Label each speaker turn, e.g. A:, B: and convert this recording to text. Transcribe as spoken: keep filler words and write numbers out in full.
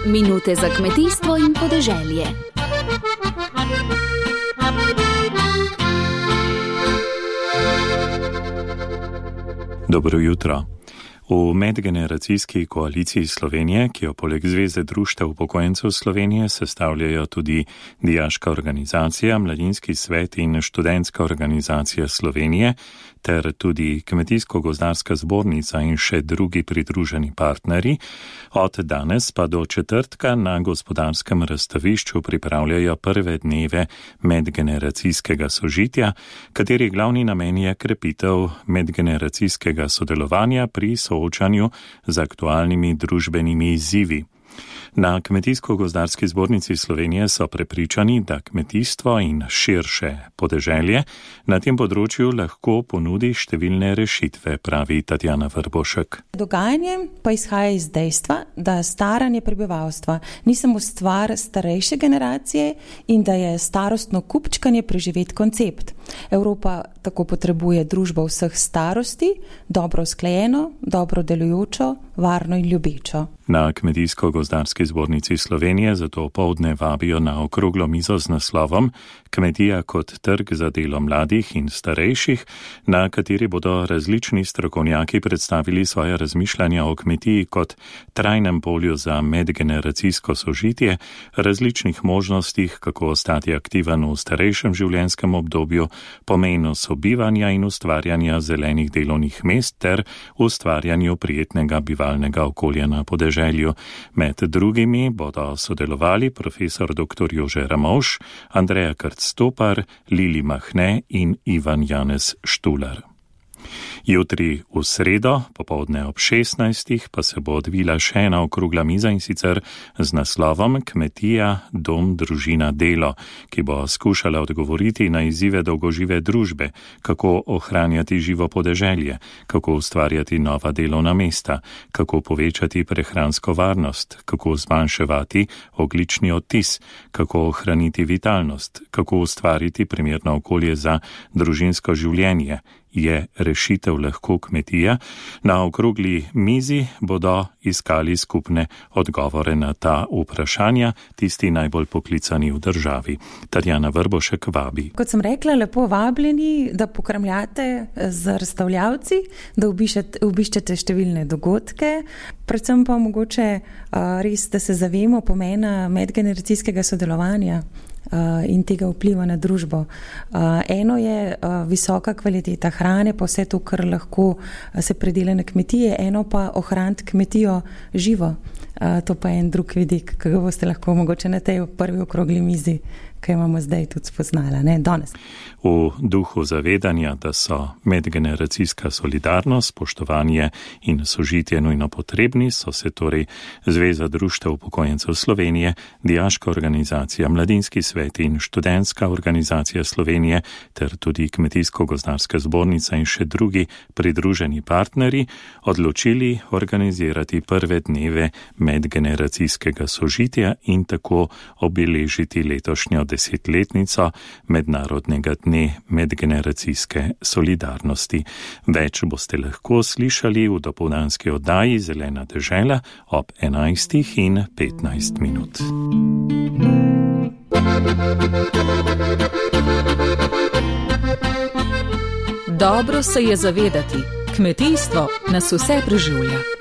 A: Minute za kmetijstvo in podeželje.
B: Dobro jutro. V medgeneracijski koaliciji Slovenije, ki jo poleg Zveze društev upokojencev Slovenije sestavljajo tudi Dijaška organizacija, Mladinski svet in Študentska organizacija Slovenije, ter tudi Kmetijsko-gozdarska zbornica in še drugi pridruženi partnerji, od danes pa do četrtka na gospodarskem razstavišču pripravljajo prve dneve medgeneracijskega sožitja, kateri glavni namen je krepitev medgeneracijskega sodelovanja pri soočanju z aktualnimi družbenimi izzivi. Na Kmetijsko-gozdarski zbornici Slovenije so prepričani, da kmetijstvo in širše podeželje na tem področju lahko ponudi številne rešitve, pravi Tatjana Vrbošek.
C: Dogajanje pa izhaja iz dejstva, da staranje prebivalstva ni samo stvar starejše generacije in da je starostno kupčkanje preživet koncept. Evropa tako potrebuje družbo vseh starosti, dobro usklajeno, dobro delujočo, varno in ljubečo.
B: Na Kmetijsko-gozdarski zbornici Slovenije zato opoldne vabijo na okroglo mizo z naslovom Kmetija kot trg za delo mladih in starejših, na kateri bodo različni strokovnjaki predstavili svoje razmišljanja o kmetiji kot trajnem polju za medgeneracijsko sožitje, različnih možnostih, kako ostati aktiven v starejšem življenjskem obdobju, pomenu sobivanja in ustvarjanja zelenih delovnih mest ter ustvarjanju prijetnega bivalnega okolja na podeželju. Med drugimi bodo sodelovali profesor dr. Jože Ramovš, Andreja Krc-Stopar, Lili Mahne in Ivan Janez Štular. Jutri v sredo, popoldne ob šestnajstih, pa se bo odvila še ena okrogla miza in sicer z naslovom Kmetija, dom, družina, delo, ki bo skušala odgovoriti na izzive dolgožive družbe, kako ohranjati živo podeželje, kako ustvarjati nova delovna mesta, kako povečati prehransko varnost, kako zmanjševati ogljični odtis, kako ohraniti vitalnost, kako ustvariti primerno okolje za družinsko življenje. Je rešitev lahko kmetija? Na okrogli mizi bodo iskali skupne odgovore na ta vprašanja, tisti najbolj poklicani v državi. Tatjana Vrbošek vabi.
C: Kot sem rekla, lepo vabljeni, da pokramljate z razstavljavci, da obiščete, obiščete številne dogodke, predvsem pa mogoče res, da se zavemo pomena medgeneracijskega sodelovanja in tega vpliva na družbo. Eno je visoka kvaliteta hrane, pa vse to, kar lahko se predela na kmetije, eno pa ohraniti kmetijo živo. To pa je en drug vidik, ki ga boste lahko mogoče na tej prvi okrogli mizi, ki imamo zdaj tudi spoznala, ne, danes.
B: V duhu zavedanja, da so medgeneracijska solidarnost, spoštovanje in sožitje nujno potrebni, so se torej Zveza društev upokojencev Slovenije, Dijaška organizacija, Mladinski svet in Študentska organizacija Slovenije ter tudi Kmetijsko-gozdarska zbornica in še drugi pridruženi partnerji odločili organizirati prve dneve medgeneracijskega sožitja in tako obeležiti letošnjo desetletnico mednarodnega dne medgeneracijske solidarnosti. Več boste lahko slišali v dopoldanski oddaji Zelena dežela ob enajstih in petnajst minut.
A: Dobro se je zavedati, kmetijstvo nas vse preživlja.